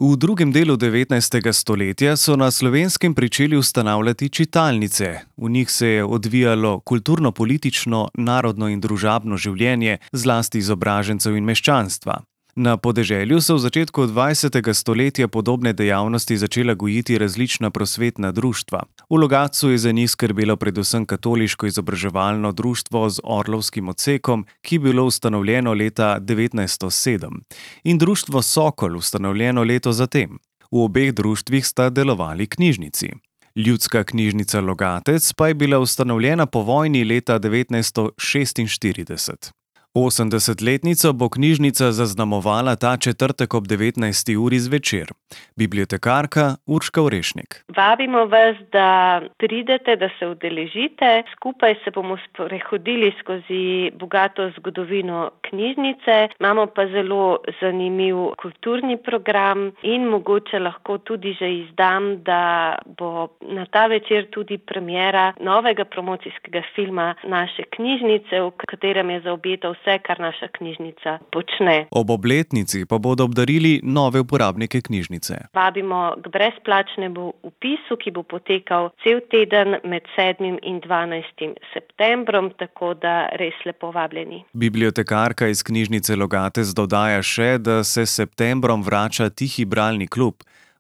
V drugem delu 19. stoletja so na Slovenskem pričeli ustanavljati čitalnice. V njih se je odvijalo kulturno-politično, narodno in družabno življenje, zlasti izobražencev in meščanstva. Na podeželju so v začetku 20. stoletja podobne dejavnosti začela gojiti različna prosvetna društva. V Logatcu je za njih skrbelo predvsem katoliško izobraževalno društvo z orlovskim odsekom, ki je bilo ustanovljeno leta 1907, in društvo Sokol, ustanovljeno leto zatem. V obeh društvih sta delovali knjižnici. Ljudska knjižnica Logatec pa je bila ustanovljena po vojni leta 1946. 80-letnico bo knjižnica zaznamovala ta četrtek ob 19. uri zvečer. Bibliotekarka Urška Orešnik. Vabimo vas, da pridete, da se udeležite. Skupaj se bomo sprehodili skozi bogato zgodovino knjižnice. Imamo pa zelo zanimiv kulturni program in mogoče lahko tudi že izdam, da bo na ta večer tudi premiera novega promocijskega filma naše knjižnice, v katerem je zaobjeto vse, kar naša knjižnica počne. Ob obletnici pa bodo obdarili nove uporabnike knjižnice. Vabimo k brezplačnemu vpisu, ki bo potekal cel teden med 7. in 12. septembrom, tako da res lepo vabljeni. Bibliotekarka iz knjižnice Logatec dodaja še, da se s septembrom vrača Tihi bralni klub.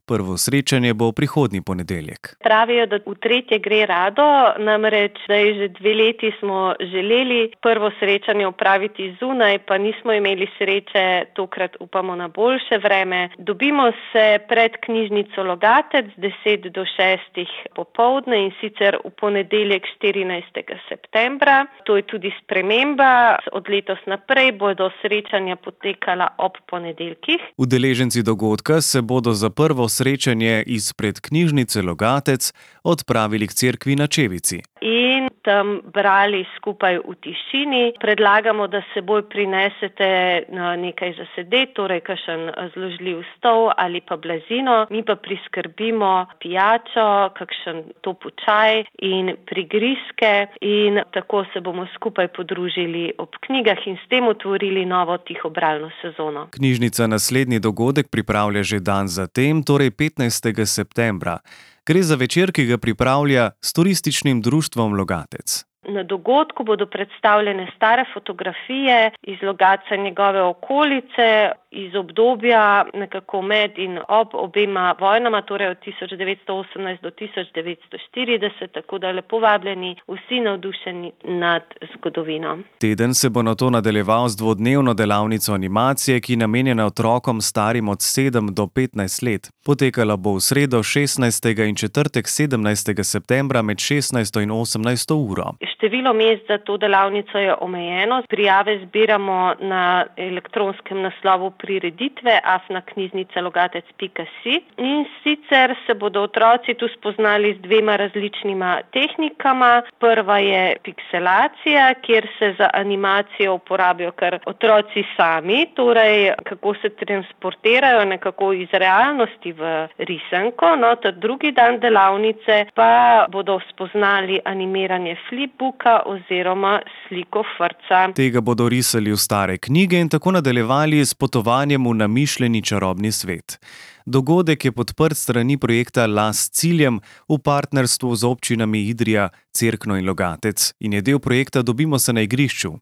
Prvo srečanje bo prihodnji ponedeljek. Pravijo, da v tretje gre rado, namreč zdaj že 2 leti smo želeli prvo srečanje opraviti zunaj, pa nismo imeli sreče, tokrat upamo na boljše vreme. Dobimo se pred knjižnico Logatec 10 do 6 popoldne in sicer v ponedeljek 14. septembra. To je tudi sprememba. Od letos naprej bodo srečanja potekala ob ponedeljkih. Udeleženci dogodka se bodo za prvo srečanje izpred knjižnice Logatec odpravili k cerkvi na Čevici. In tam brali skupaj v tišini. Predlagamo, da s seboj prinesete nekaj za sedeti, torej kakšen zložljiv stol ali pa blazino. Mi pa priskrbimo pijačo, kakšen topel čaj in prigrizke in tako se bomo skupaj podružili ob knjigah in s tem otvorili novo tihobralno sezono. Knjižnica naslednji dogodek pripravlja že dan zatem, torej 15. septembra. Gre za večer, ki ga pripravlja s turističnim društvom Logatec. Na dogodku bodo predstavljene stare fotografije iz Logatca in njegove okolice, iz obdobja nekako med in ob obema vojnama, torej od 1918 do 1940, tako da lepo vabljeni vsi navdušeni nad zgodovino. Teden se bo nato nadaljeval z dvodnevno delavnico animacije, ki je namenjena otrokom starim od 7 do 15 let. Potekala bo v sredo 16. in četrtek 17. septembra med 16. in 18. uro. Število mest za to delavnico je omejeno. Prijave zbiramo na elektronskem naslovu prireditve afnaknjižnicelogатec.si in sicer se bodo otroci tu spoznali z 2 različnima tehnikama. Prva je pikselacija, kjer se za animacijo uporabijo kar otroci sami, torej kako se transportirajo nekako iz realnosti v risanko. Ta drugi dan delavnice pa bodo spoznali animiranje flipbooka oziroma sliko frca. Tega bodo risali v stare knjige in tako nadaljevali s potovanjem v namišljeni čarobni svet. Dogodek je podprt strani projekta Las s ciljem v partnerstvu z občinami Idrija, Cerkno in Logatec in je del projekta Dobimo se na igrišču.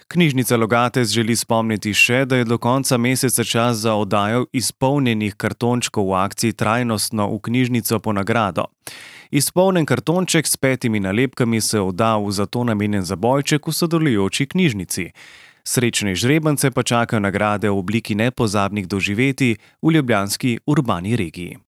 Knjižnica Logatec želi spomniti še, da je do konca meseca čas za oddajo izpolnjenih kartončkov v akciji Trajnostno v knjižnico po nagrado. Izpolnjen kartonček s 5 nalepkami se odda v zato namenjen zabojček v sodelujoči knjižnici. Srečne žrebance pa čakajo nagrade v obliki nepozabnih doživetij v ljubljanski urbani regiji.